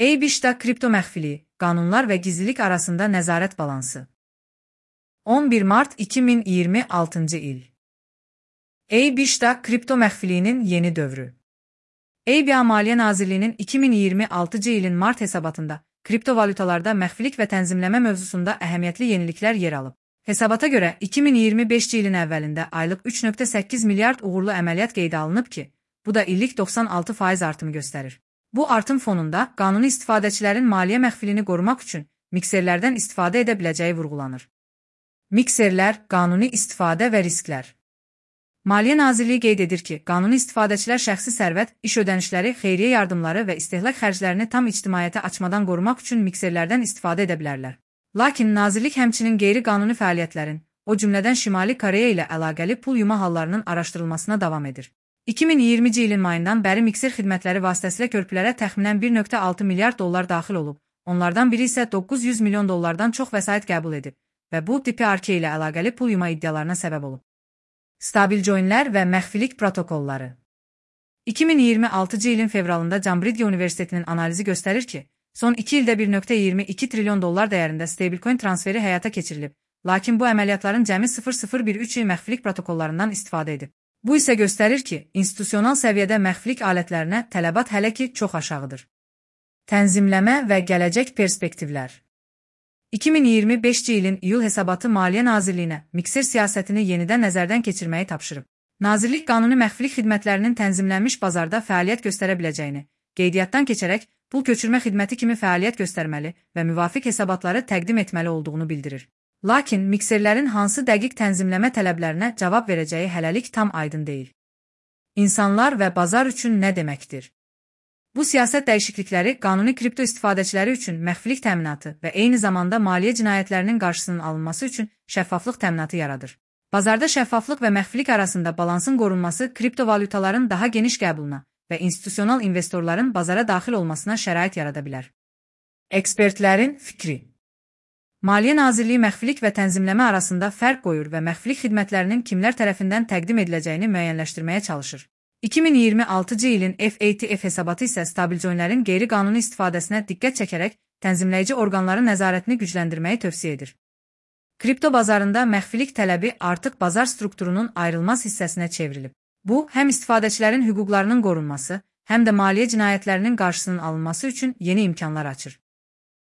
AB-da kripto məxfiliyi, qanunlar və gizlilik arasında nəzarət balansı. 11 mart 2026 il. AB-da kripto məxfiliyinin yeni dövrü. AB Maliyyə Nazirliyinin 2026 ilin mart hesabatında kriptovalutalarda məxfilik və tənzimləmə mövzusunda əhəmiyyətli yeniliklər yer alıb. Hesabata görə 2025 ilin əvvəlində aylıq 3,8 milyard uğurlu əməliyyat qeydə alınıb ki, bu da illik 96% artımı göstərir. Bu artım fonunda qanuni istifadəçilərin maliyyə məxfilini qorumaq üçün mikserlərdən istifadə edə biləcəyi vurğulanır. Mikserlər, qanuni istifadə və risklər. Maliyyə Nazirliyi qeyd edir ki, qanuni istifadəçilər şəxsi sərvət, iş ödənişləri, xeyriyyə yardımları və istehlak xərclərini tam ictimaiyyətə açmadan qorumaq üçün mikserlərdən istifadə edə bilərlər. Lakin Nazirlik həmçinin qeyri-qanuni fəaliyyətlərin, o cümlədən Şimali Koreya ilə əlaqəli pul yuma hallarının araşdırılmasına davam edir. 2020 ilin mayından bəri mikser xidmətləri vasitəsilə körpülərə təxminən 1,6 milyard dollar daxil olub, onlardan biri isə 900 milyon dollardan çox vəsait qəbul edib və bu DPRK ilə əlaqəli pul yuma iddialarına səbəb olub. Stabil joinlər və məxfilik protokolları. 2026 ilin fevralında Cambridge Universitetinin analizi göstərir ki, son 2 ildə 1,22 trilyon dollar dəyərində stablecoin transferi həyata keçirilib, lakin bu əməliyyatların cəmi 0013 məxfilik protokollarından istifadə edib. Bu isə göstərir ki, institusional səviyyədə məxfilik alətlərinə tələbat hələ ki çox aşağıdır. Tənzimləmə və gələcək perspektivlər. 2025 ilin iyul hesabatı Maliyyə Nazirliyinə mikser siyasətini yenidən nəzərdən keçirməyi tapşırıb. Nazirlik qanuni məxfilik xidmətlərinin tənzimlənmiş bazarda fəaliyyət göstərə biləcəyini, qeydiyyatdan keçərək pul köçürmə xidməti kimi fəaliyyət göstərməli və müvafiq hesabatları təqdim etməli olduğunu bildirir. Lakin mikserlərin hansı dəqiq tənzimləmə tələblərinə cavab verəcəyi hələlik tam aydın deyil. İnsanlar və bazar üçün nə deməkdir? Bu siyasət dəyişiklikləri qanuni kripto istifadəçiləri üçün məxfilik təminatı və eyni zamanda maliyyə cinayətlərinin qarşısının alınması üçün şəffaflıq təminatı yaradır. Bazarda şəffaflıq və məxfilik arasında balansın qorunması kriptovalutaların daha geniş qəbuluna və institusional investorların bazara daxil olmasına şərait yarada bilər. Ekspertlərin fikri. Maliyyə Nazirliyi məxfilik və tənzimləmə arasında fərq qoyur və məxfilik xidmətlərinin kimlər tərəfindən təqdim ediləcəyini müəyyənləşdirməyə çalışır. 2026 ilin FATF hesabatı isə stabil joinlərin qeyri-qanuni istifadəsinə diqqət çəkərək tənzimləyici orqanların nəzarətini gücləndirməyi tövsiyə edir. Kripto bazarında məxfilik tələbi artıq bazar strukturunun ayrılmaz hissəsinə çevrilib. Bu, həm istifadəçilərin hüquqlarının qorunması, həm də maliyyə cinayətlərinin qarşısının alınması üçün yeni imkanlar açır.